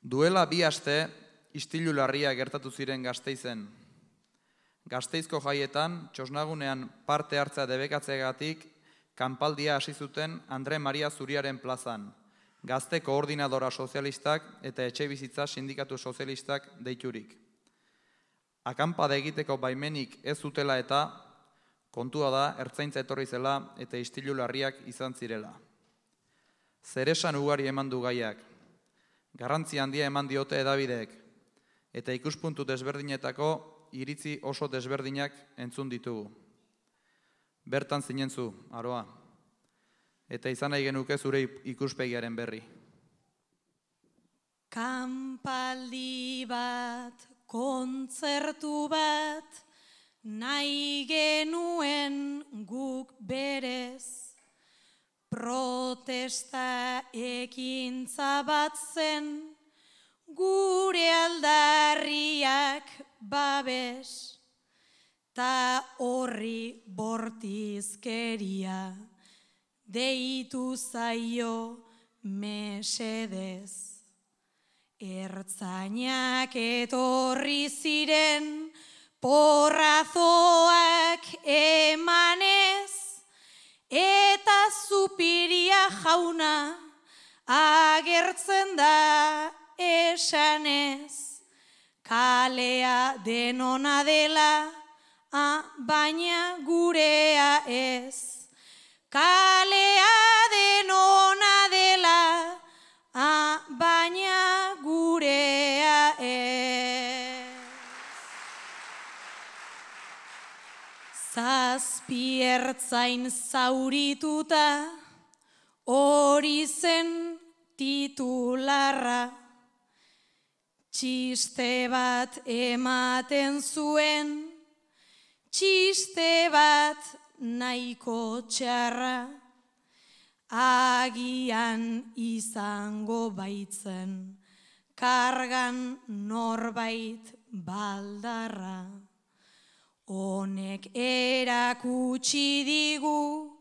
Duela 2 aste, istilu larria gertatu ziren Gasteizen. Gasteizko jaietan, txosnagunean parte hartzea debekatzeagatik, kanpaldia hasi zuten Andre Maria Zuriaren plazan, Gazte Koordinadora Sozialistak eta Etxebizitza Sindikatu Sozialistak deiturik. Akanpada egiteko baimenik ez zutela eta, kontua da, ertzaintza etorri zela eta istilu larriak izan zirela. Zeresan ugari eman du gaiak, garrantzi handia eman diote hedabideek, eta ikuspuntu desberdinetako iritzi oso desberdinak entzun ditugu. Bertan zinen zu, Aroa, eta izan nahi genuke zure ikuspegiaren berri. Kanpaldi bat, kontzertu bat, nahi genuen guk berez, protesta ekintza bat zen, gure aldarriak babes, ta horri bortizkeria, deitu zaio mesedez. Ertzainak etorri ziren, porrazoak emanez, eta Zupiria jauna agertzen da esanez. Kalea denona dela, baina gurea ez. Kalea denona dela, baina gurea ez. Zazpi ertzain zaurituta, hori zen titularra. Txiste bat ematen zuen, txiste bat nahiko txarra, agian izango baitzen, kargan norbait baldarra. Honek erakutsi digu,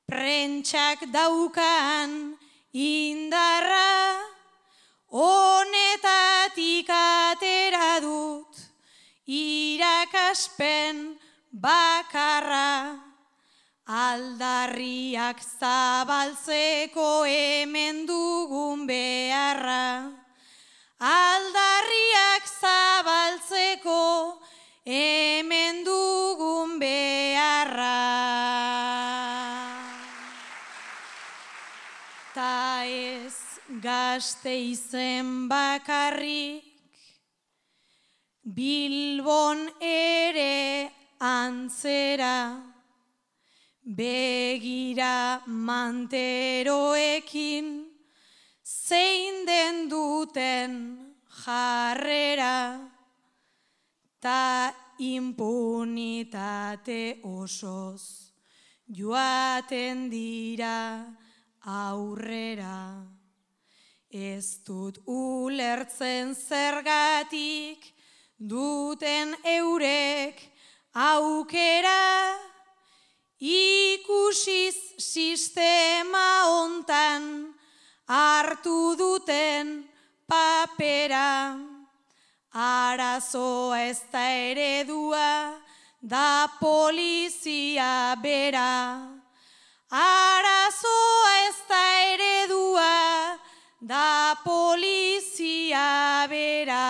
prentsak daukan indarra, honetatik atera dut, irakaspen bakarra. Aldarriak zabaltzeko hemen dugun beharra. Aldarriak zabaltzeko hemen dugun beharra. Ta ez Gasteizen bakarrik, Bilbon ere antzera, begira manteroekin, zein den duten jarrera, ta impunitate osoz joaten dira aurrera. Ez dut ulertzen zergatik duten eurek aukera, ikusiz sistema hontan hartu duten papera. Arazoa ez da eredua, da polizia bera. Arazoa ez da eredua, da polizia bera.